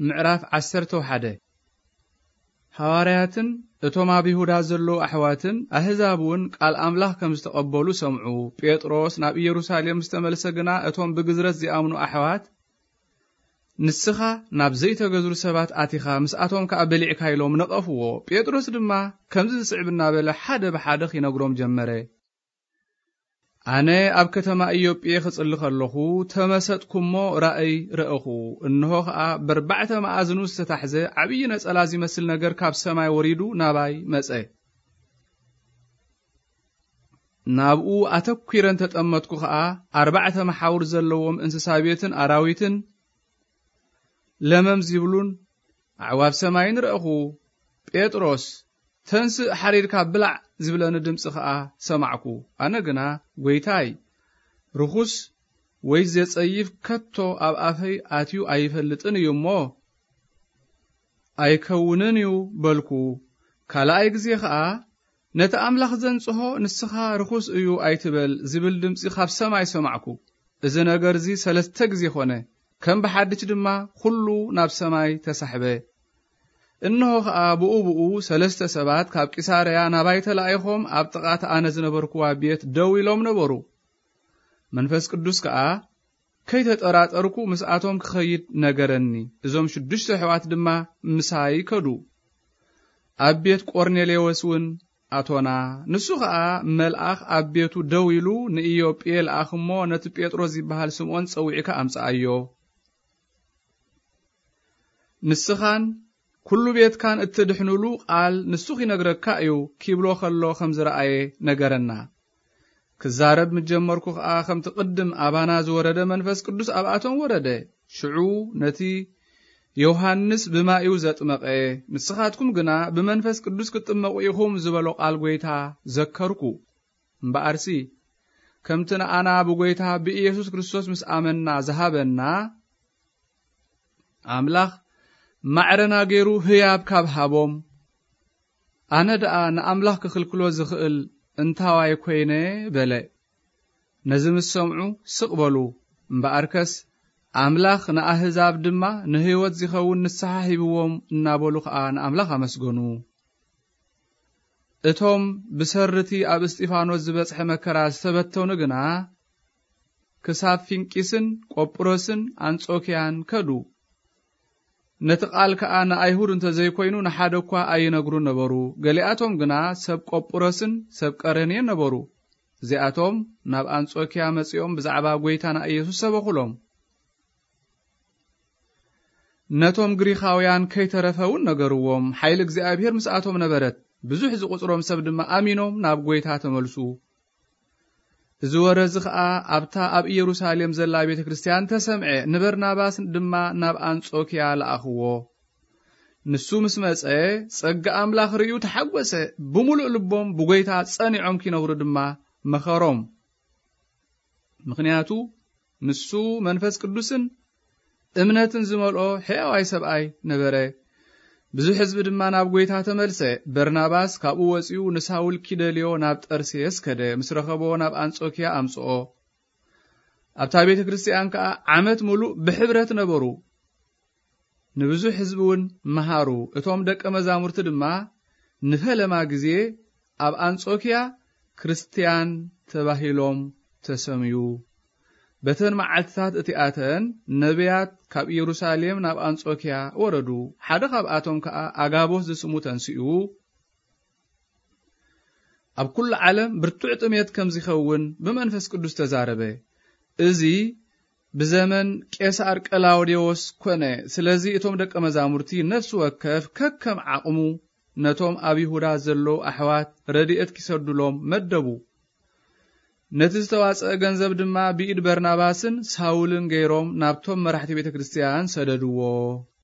ምዕራፍ ዓሰርተ ሓደ። ሃዋርያትን እቶም ኣብ ይሁዳ ዘለዉ ኣሕዋትን ኣህዛብ እውን ቃል ኣምላኽ ከም ዝተቐበሉ ሰምዑ። ጴጥሮስ ናብ ኢየሩሳሌም ምስ ተመልሰ ግና፣ እቶም ብግዝረት ዚኣምኑ ኣሕዋት፣ "ንስኻ ናብ ዘይተገዝሩ ሰባት ኣቲኻ፣ ምስኣቶም ከኣ በሊዕካ" ኢሎም ነቐፍዎ። ጴጥሮስ ድማ፣ ከምዚ ዝስዕብ እናበለ ሓደ ብሓደ ኺነግሮም ጀመረ። ኣነ ኣብ ከተማ ኢዮጴ ክጽሊ ከለኹ፣ ተመሰጥኩ እሞ ራእይ ረእኹ። እንሆ ኸኣ በርባዕተ መኣዝኑ ዝተታሕዘ ዓብዪ ነጸላ ዚመስል ነገር ካብ ሰማይ ወሪዱ ናባይ መጸ። ናብኡ ኣተኲረ እንተጠመትኩ ኸኣ፣ ኣርባዕተ መሓውር ዘለዎም እንስሳ ቤትን ኣራዊትን ለመም ዚብሉን ኣዕዋፍ ሰማይን ረእኹ። "ጴጥሮስ፣ ተንስእ፣ ሓሪድካ ብላዕ" ዝብለኒ ድምጺ ኸኣ ሰማዕኩ። ኣነ ግና፣ "ጐይታይ፣ ርኹስ ወይ ዜጸይፍ ከቶ ኣብ ኣፈይ ኣትዩ ኣይፈልጥን እዩ እሞ፣ ኣይከውንን እዩ" በልኩ። ካልኣይ ግዜ ኸኣ፣ "ነቲ ኣምላኽ ዘንጽሆ ንስኻ ርኹስ እዩ ኣይትበል" ዝብል ድምጺ ካብ ሰማይ ሰማዕኩ። እዚ ነገር እዚ ሰለስተ ግዜ ኾነ። ከም ብሓድሽ ድማ ኹሉ ናብ ሰማይ ተሳሕበ። እንሆ ኸኣ ብኡ ብኡ ሰለስተ ሰባት ካብ ቂሳርያ ናባይ ተላኢኾም ኣብ ጥቓ እታ ኣነ ዝነበርኩዋ ቤት ደው ኢሎም ነበሩ። መንፈስ ቅዱስ ከኣ ከይተጠራጠርኩ ምስኣቶም ክኸይድ ነገረኒ። እዞም ሽዱሽተ ኣሕዋት ድማ ምሳይ ከዱ። ኣብ ቤት ቆርኔሌዎስ እውን ኣቶና። ንሱ ኸኣ መልኣኽ ኣብ ቤቱ ደው ኢሉ፣ "ንኢዮጴ ልኣኽ እሞ ነቲ ጴጥሮስ ዚበሃል ስምዖን ጸዊዕካ ኣምጽኣዮ። ንስኻን ኩሉ ቤትካን እትድሕኑሉ ቃል ንሱ ኺነግረካ እዩ" ኪብሎ ኸሎ ኸም ዝረኣየ ነገረና። ክዛረብ ምስ ጀመርኩ ኸኣ፣ ከምቲ ቅድም ኣባና ዝወረደ መንፈስ ቅዱስ ኣብኣቶም ወረደ። ሽዑ ነቲ "ዮሃንስ ብማይ እዩ ዘጥመቐ፣ ንስኻትኩም ግና ብመንፈስ ቅዱስ ክትጥመቑ ኢኹም" ዝበሎ ቃል ጐይታ ዘከርኩ። እምበኣርሲ፣ ከምቲ ንኣና ብጐይታ ብኢየሱስ ክርስቶስ ምስ ኣመንና ዝሃበና፣ ኣምላኽ ማዕረና ገይሩ ህያብ ካብ ሃቦም፣ ኣነ ደኣ ንኣምላኽ ክኽልክሎ ዝኽእል እንታዋይ ኰይነ? በለ። ነዚ ምስ ሰምዑ ስቕ በሉ። እምበኣርከስ፣ ኣምላኽ ንኣህዛብ ድማ ንህይወት ዚኸውን ንስሓ ሂብዎም እናበሉ ኸኣ ንኣምላኽ ኣመስገኑ። እቶም ብሰርቲ ኣብ እስጢፋኖስ ዝበጽሐ መከራ ዝተበተኑ ግና፣ ክሳብ ፊንቂስን ቆጵሮስን ኣንጾክያን ከዱ። ነቲ ቃል ከኣ ንኣይሁድ እንተ ዘይኮይኑ ንሓደ እኳ ኣይነግሩን ነበሩ። ገሊኣቶም ግና ሰብ ቆጵሮስን ሰብ ቀረኔን ነበሩ። እዚኣቶም ናብ ኣንጾክያ መጺኦም ብዛዕባ ጐይታና ኢየሱስ ሰበኹሎም። ነቶም ግሪኻውያን ከይተረፈ እውን ነገርዎም። ሓይሊ እግዚኣብሔር ምስኣቶም ነበረት። ብዙሕ ዝቑጽሮም ሰብ ድማ ኣሚኖም ናብ ጐይታ ተመልሱ። እዚ ወረ እዚ ኸኣ ኣብታ ኣብ ኢየሩሳሌም ዘላ ቤተ ክርስትያን ተሰምዐ። ንበርናባስ ድማ ናብ ኣንጾክያ ለኣኽዎ። ንሱ ምስ መጸ፣ ጸጋ ኣምላኽ ርእዩ ተሓጐሰ። ብምሉእ ልቦም ብጐይታ ጸኒዖም ኪነብሩ ድማ መኸሮም። ምኽንያቱ ንሱ መንፈስ ቅዱስን እምነትን ዝመልኦ ሕያዋይ ሰብኣይ ነበረ። ብዙሕ ህዝቢ ድማ ናብ ጐይታ ተመልሰ። በርናባስ ካብኡ ወጺኡ ንሳውል ኪደልዮ ናብ ጠርሴስ ከደ። ምስ ረኸቦ ናብ ኣንጾክያ ኣምጽኦ። ኣብታ ቤተ ክርስትያን ከኣ ዓመት ምሉእ ብሕብረት ነበሩ። ንብዙሕ ህዝቢ እውን መሃሩ። እቶም ደቀ መዛሙርቲ ድማ ንፈለማ ግዜ ኣብ ኣንጾክያ ክርስትያን ተባሂሎም ተሰምዩ። በተን መዓልትታት እቲኣተን ነቢያት ካብ ኢየሩሳሌም ናብ ኣንጾክያ ወረዱ። ሓደ ካብኣቶም ከኣ ኣጋቦስ ዝስሙ ተንሲኡ፣ ኣብ ኩሉ ዓለም ብርቱዕ ጥሜት ከም ዚኸውን ብመንፈስ ቅዱስ ተዛረበ። እዚ ብዘመን ቄሳር ቀላውዴዎስ ኰነ። ስለዚ እቶም ደቀ መዛሙርቲ ነፍሲ ወከፍ ከከም ዓቕሙ ነቶም ኣብ ይሁዳ ዘለዉ ኣሕዋት ረድኤት ኪሰዱሎም መደቡ። ነቲ ዝተዋጽአ ገንዘብ ድማ ብኢድ በርናባስን ሳውልን ገይሮም ናብቶም መራሕቲ ቤተ ክርስትያን ሰደድዎ።